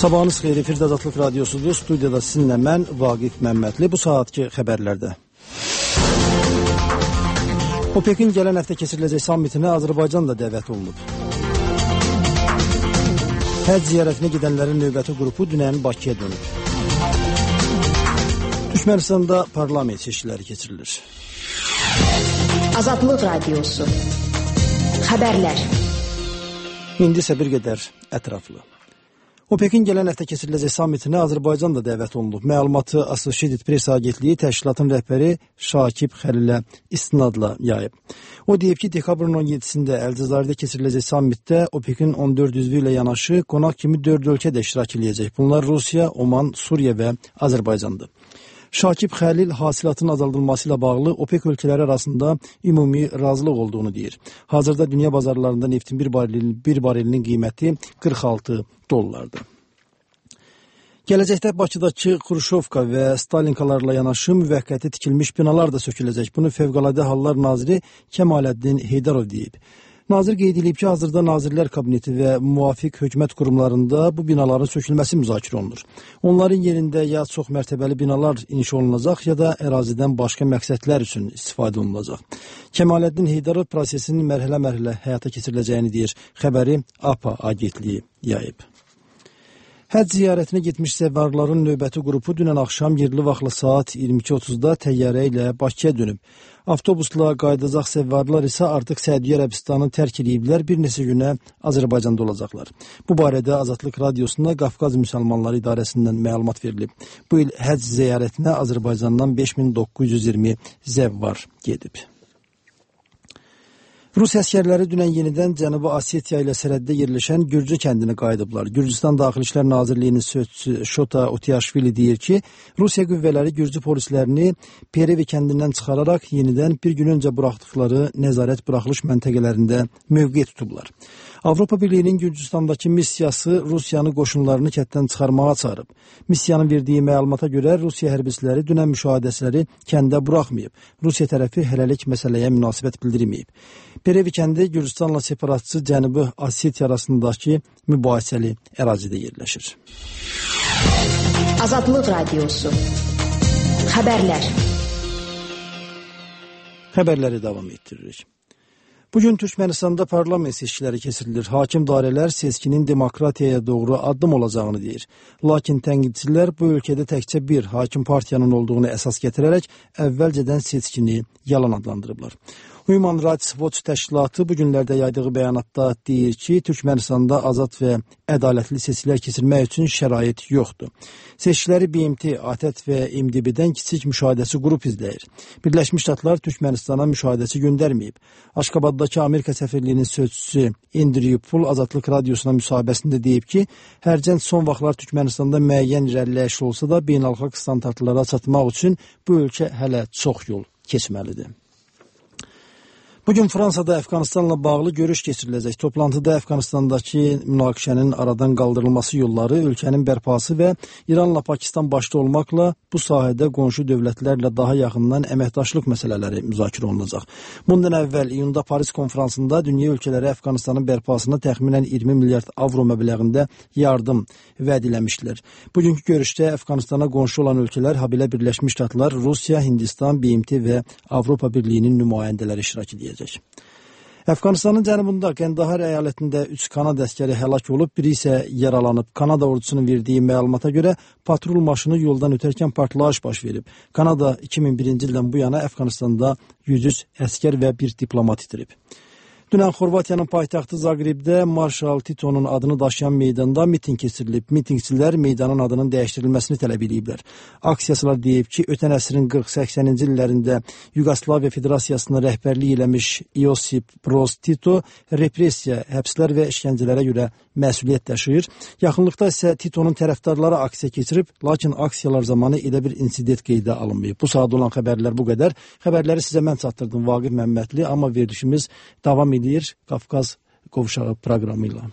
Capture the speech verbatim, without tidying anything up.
Sabahınız xeyir, efirdə Azadlıq Radiosudur. Studiyada sizinlə mən, Vaqif Məmmədli. Bu saatki xəbərlərdə. OPEC-in gələn həftə keçiriləcək sammitinə Azərbaycan da dəvət olunub. Həcc ziyarətinə gedənlərin növbəti qrupu dünən Bakıya dönüb. Türkmənistanda parlament seçkiləri keçirilir. Azadlıq Radiosu. Xəbərlər. İndi isə bir qədər ətraflı. OPEC-in gələn həftə keçiriləcək sammitinə Azərbaycan da dəvət olunub. Məlumatı Associated Press agentliyi təşkilatın rəhbəri Şakib Xəlilə istinadla yayıb. O deyib ki, dekabrın on yeddisində Əlcəzairdə keçiriləcək sammitdə OPEC-in on dörd üzvü ilə yanaşı qonaq kimi dörd ölkə də iştirak edəcək. Bunlar Rusiya, Oman, Suriya və Azərbaycandır. Şakib Xəlil hasilatın azaldılması ilə bağlı OPEC ölkələri arasında ümumi razılıq olduğunu deyir. Hazırda dünya bazarlarında neftin bir, baril, bir barilinin qiyməti qırx altı dollardır. Gələcəkdə Bakıdakı Xruşovka və Stalinkalarla yanaşı müvəqqəti tikilmiş binalar da söküləcək. Bunu Fövqəladə Hallar Naziri Kəmaləddin Heydarov deyib. Nazir qeyd edib ki, hazırda Nazirlər Kabineti və müvafiq hökumət qurumlarında bu binaların sökülməsi müzakirə olunur. Onların yerində ya çox mərtəbəli binalar inşa olunacaq, ya da ərazidən başqa məqsədlər üçün istifadə olunacaq. Kəmaləddin Heydarov prosesin mərhələ-mərhələ həyata keçiriləcəyini deyir. Xəbəri A P A agentliyi yayıb. Həcc ziyarətinə getmiş səvvarların növbəti qrupu dünən axşam yerli vaxtla saat iyirmi iki otuzda təyyarə ilə Bakıya dönüb. Avtobusla qayıdacaq səvvarlar isə artıq Səudiyyə Ərəbistanı tərk ediblər, bir neçə günə Azərbaycanda olacaqlar. Bu barədə Azadlıq Radiosunda Qafqaz Müsəlmanları İdarəsindən məlumat verilib. Bu il həcc ziyarətinə Azərbaycandan beş min doqquz yüz iyirmi zəvvar gedib. Rus əskərləri dünən yenidən Cənubi Osetiya ilə sərhəddə yerləşən Gürcü kəndinə qayıdıblar. Gürcüstan Daxili İşlər Nazirliyinin sözçüsü Şota Utiyaşvili deyir ki, Rusiya qüvvələri Gürcü polislərini Perevi kəndindən çıxararaq yenidən bir gün öncə buraxdıqları nəzarət buraxılış məntəqələrində mövqe tutublar. Avropa Birliyinin Gürcüstandakı missiyası Rusiyanı qoşunlarını kənddən çıxarmağa çağırıb. Missiyanın verdiyi məlumata görə Rusiya hərbçiləri dünən müşahidəçiləri kəndə buraxmayıb. Rusiya tərəfi hələlik məsələyə münasibət bildirməyib. Perevi kəndi Gürcüstanla separatçı Cənubi Osetiya arasındakı mübahisəli ərazidə yerləşir. Azadlıq Radiosu. Xəbərlər. Xəbərləri davam etdiririk. Bugün Türkmenistanda parlament seçkiləri keçirilir. Hakim dairələr seçkinin demokratiyaya doğru addım olacağını deyir. Lakin tənqidçilər bu ölkədə təkcə bir hakim partiyanın olduğunu əsas gətirərək əvvəlcədən seçkini yalan adlandırıblar. Human Rights Watch təşkilatı bu günlərdə yaydığı bəyanatda deyir ki, Türkmenistanda azad və ədalətli seçkilər keçirmək üçün şərait yoxdur. Seçkiləri B M T, A T T və M D B-dən kiçik müşahidəçi qrup izləyir. Birləşmiş Ştatlar Türkmenistana müşahidəçi göndərməyib. Aşqabaddakı Amerika səfirliyinin sözçüsü Andrew Pool Azadlıq Radiosuna müsahibəsində deyib ki, hərçənd son vaxtlar Türkmenistanda müəyyən irəliləyiş olsa da beynəlxalq standartlara çatmaq üçün bu ölkə hələ çox yol keçməlidir. Bugün Fransada Əfqanistanla bağlı görüş keçiriləcək. Toplantıda Əfqanistandakı münaqişənin aradan qaldırılması yolları, ölkənin bərpası və İranla Pakistan başda olmaqla bu sahədə qonşu dövlətlərlə daha yaxından əməkdaşlıq məsələləri müzakirə olunacaq. Bundan əvvəl iyunda Paris konferansında dünya ölkələri Əfqanistanın bərpasına təxminən iyirmi milyard avro məbləğində yardım vəd eləmişdilər. Bugünkü görüşdə Əfqanistana qonşu olan ölkələr, habelə Birləşmiş Ştatlar, Rusiya, Hindistan, B M T və Avropa Birliyinin nümayəndələri iştirak edəcək. Əfqanistanın cənubunda Qəndahar əyalətində üç Kanada əskəri həlak olub, biri isə yaralanıb. Kanada ordusunun verdiyi məlumata görə patrul maşını yoldan ötərkən partlayış baş verib. Kanada iki min birinci ildən bu yana Əfqanistanda yüz üç əskər və bir diplomat itirib. Dünən Xorvatiyanın paytaxtı Zagrebdə Marshal Tito'nun adını daşıyan meydanda miting keçirilib. Mitingçilər meydanın adının dəyişdirilməsini tələb ediblər. Aksiyaçılar deyib ki, ötən əsrin qırx səksəninci illərində Yugoslaviya Federasiyasına rəhbərlik eləmiş Iosip Broz Tito repressiya, həbslər və işgəncələrə görə məsuliyyət daşıyır. Yaxınlıqda isə Tito'nun tərəfdarları aksiya keçirib, lakin aksiyalar zamanı elə bir insident qeydə alınmayıb. Bu saat olan xəbərlər bu qədər. Xəbərləri sizə mən çatdırdım, Vaqif Məmmədli, amma verilişimiz davam edir Qafqaz qovşağı proqramı ilə.